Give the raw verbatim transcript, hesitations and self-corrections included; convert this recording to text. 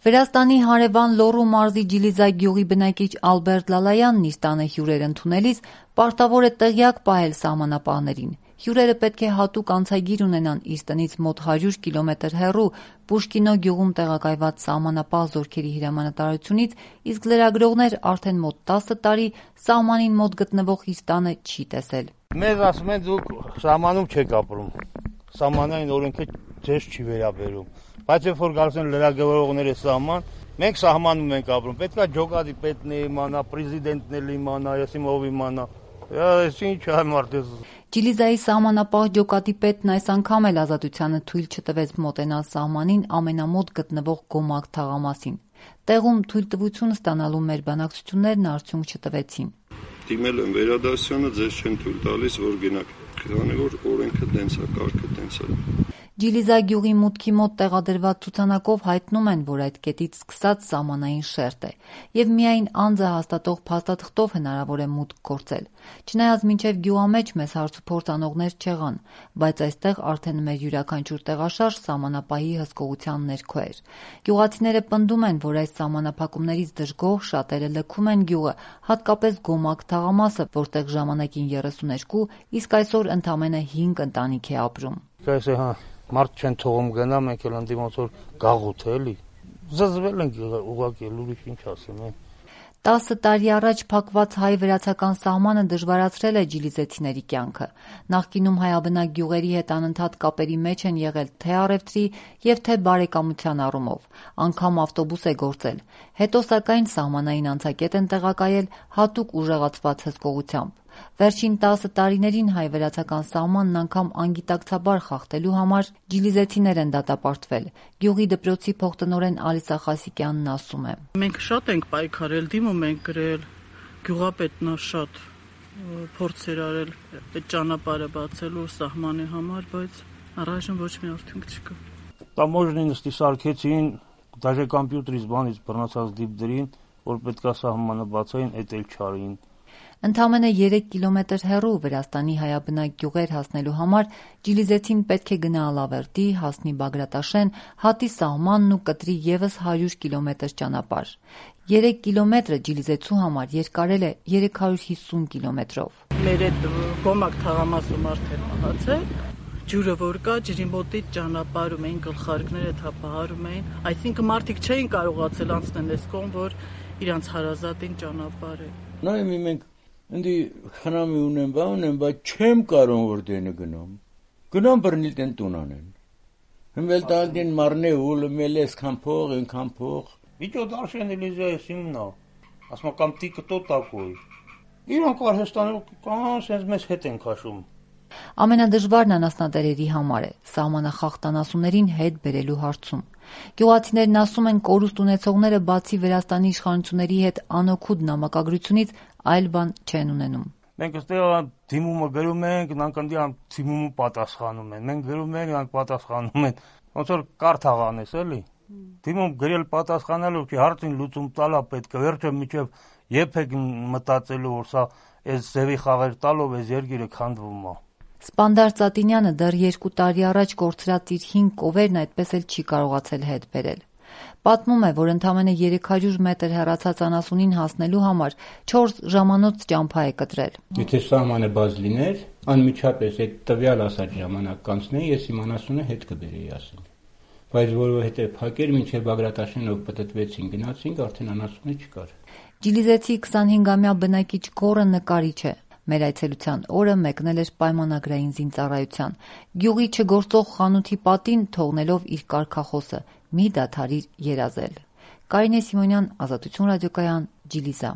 Վրաստանի հարևան Լոռու մարզի Ջիլիզա գյուղի բնակիչ Ալբերտ Լալայանն իր տանը հյուրեր ընդունելիս պարտավոր է տեղյակ պահել սահմանապահներին։ Հյուրերը պետք է հատուկ անցագիր ունենան իր տնից մոտ հարյուր կիլոմետր հեռու Պուշկինո գյուղում տեղակայված սահմանապահ զորքերի հրամանատարությունից, իսկ լրագրողներ արդեն մոտ տասը տարի սահմանին մոտ գտնվող իր տանը չի տեսել։ Մեզ ասում են դուք սահմանում չեք ապրում, սահմանային օրենքը ձեզ չի վերաբերում, բայց երբ որ գալիս են լրագրողները սահման, մենք սահմանում ենք ապրում, պետք է ջոկատի պետն իմանա, պրեզիդենտն էլ իմանա, ես իմ ով իմանա, ես ինչ այ մարդես։ Ջիլիզայի սահմանապահ ջոկատի պետն այս անգամ էլ ազատությանը թույլ չտվեց մոտենալ սահմանին ամենամոտ գտնվող Գոմակ թաղամասին։ Տեղում թույլտվություն ստանալու մեր բանակցություններն արդյունք չտվեցին։ Դիմել են վերադասությանը, ձեզ չեն թույլ տալիս, որ գնաք, քանի որ օրենքը տենց է, կարգը տենց է։ Ջիլիզա գյուղի մուտքի մոտ տեղադրված ցուցանակով հայտնում են, որ այդ կետից սկսած սահմանային շերտ է, եւ միայն անձը հաստատող փաստաթղթով հնարավոր է մուտք գործել։ Չնայած մինչև գյուղամեջ մեզ հարցուփորձ անողներ չեղան, բայց այստեղ արդեն մեր յուրաքանչյուր տեղաշարժ սահմանապահի հսկողության ներքո էր։ Գյուղացիները պնդում են, որ այս սահմանափակումներից դժգոհ շատերը լքում են գյուղը, հատկապես Գոմակ թաղամասը, որտեղ ժամանակին երեսուներկու, իսկ այսօր ընդամենը հինգ ընտանիք է ապրում։ Մարդ չեն թողում գնա, մենք էլ ընդի ոնց որ գաղութ է, էլի։ Զզվել ենք ուղղակի, ուրիշ ինչ ասեմ։ Տասը տարի առաջ փակված հայ-վրացական սահմանը դժվարացրել է ջիլիզեցիների կյանքը։ Նախկինում հայաբնակ գյուղերի հետ անընդհատ կապերի մեջ են եղել թե առևտրի եւ թե բարեկամության առումով։ Անգամ ավտոբուս է գործել։ Հետո սակայն սահմանային անցակետ են տեղակայել հատուկ ուժեղացված հսկողությամբ։ Վերջին տասը տարիներին հայ-վրացական սահմանն անգամ անգիտակցաբար խախտելու համար ջիլիզեցիներ են դատապարտվել։ Գյուղի դպրոցի փոխտնօրեն Ալիսա Խասիկյանն ասում է. Մենք շատ ենք պայքարել, դիմում ենք գրել, գյուղապետն է շատ փորձեր արել այդ ճանապարհը բացելու սահմանի համար, բայց առայժմ ոչ մի արդյունք չկա։ Տամոժնին նստի սարքեցին, դաժե կոմպյուտերից բանից բռնացած դիպդրին, որ պետքա սահմանը բացային, էդ էլ չարին։ Ընդամենը երեք կիլոմետր հեռու Վրաստանի հայաբնակ գյուղեր հասնելու համար ջիլիզեցին պետք է գնա Ալավերդի, հասնի Բագրատաշեն, հատի սահմանն ու կտրի ևս հարյուր կիլոմետր ճանապարհ։ Երեք կիլոմետրը ջիլիզեցու համար երկարել է երեք հարյուր հիսուն կիլոմետրով։ Մեր այդ Գոմակ թաղամասում արդեն մահացել, ջուրը որ կա, ջրի մոտից ճանապարհում էին, գլխարկները թափահարում էին, այսինքն մարդիկ չէին կարողացել անցնել այս կողմ, որ իրանց հարազատին ճանապարհ է։ Նայում մենք Ընդի խնամի ունեմ, բա ունեմ, բայց չեմ կարող որ դենը գնամ։ Գնամ բռնիլ տեն տուն անեն։ Հմվել տալդին մարնե ուլ մելես քան փող, ենքան փող։ Իջո դարշեն Էլիզա սիմնա։ Ասма կամ տիկը տո տակոյ։ Իրանք Արհեստանում կան, sense մեզ հետ են քաշում։ Ամենադժվարն անասնատերերի համար է սահմանախախտանասուներին հետ բերելու հարցում։ Գյուղացիներն ասում են, կորուստ ունեցողները բացի Վրաստանի իշխանությունների հետ անօգուտ նամակագրությունից այլ բան չեն ունենում։ Մենք այստեղ դիմումը գրում ենք, նրանք ընդդիան դիմումը պատասխանում են։ Մենք գրում ենք, նրանք պատասխանում են։ Ոնց որ կարթ աղանես, էլի։ Դիմում գրել պատասխանալու չի, հարցին լուծում տալա պետք է, վերջը միջև եփեք մտածելու, որ սա այս ձևի խաղեր տալով այս երկիրը քանդվում է։ Սպանդար Ծատինյանը դեռ երկու տարի առաջ կորցրած իր հինգ կովերն այդպես էլ չի կարողացել հետ բերել։ Պատմում է, որ ընդամենը երեք հարյուր մետր հեռացած անասունին հասնելու համար չորս ժամանոց ճամփա է կտրել։ Եթե սահմանը բաց լիներ, անմիջապես այդ տվյալ ասած ժամանակ կանցնեի, ես իմ անասունը հետ կբերեի ասել։ Բայց որովհետև փակեր մինչև Բագրատաշենով պատտվեցին, գնացինք, արդեն անասունը չկար։ Ջիլիզեցի քսանհինգամյա բնակիչ Գորը նկարիչ է։ Մեր այցելության օրը մեկնել էր պայմանագրային զինծառայության։ Գյուղի չգործող խանութի պատին թողնելով իր կարգախոսը՝ մի դադարիր երազել։ Կարինե Սիմոնյան, Ազատություն ռադիոկայան, Ջիլիզա։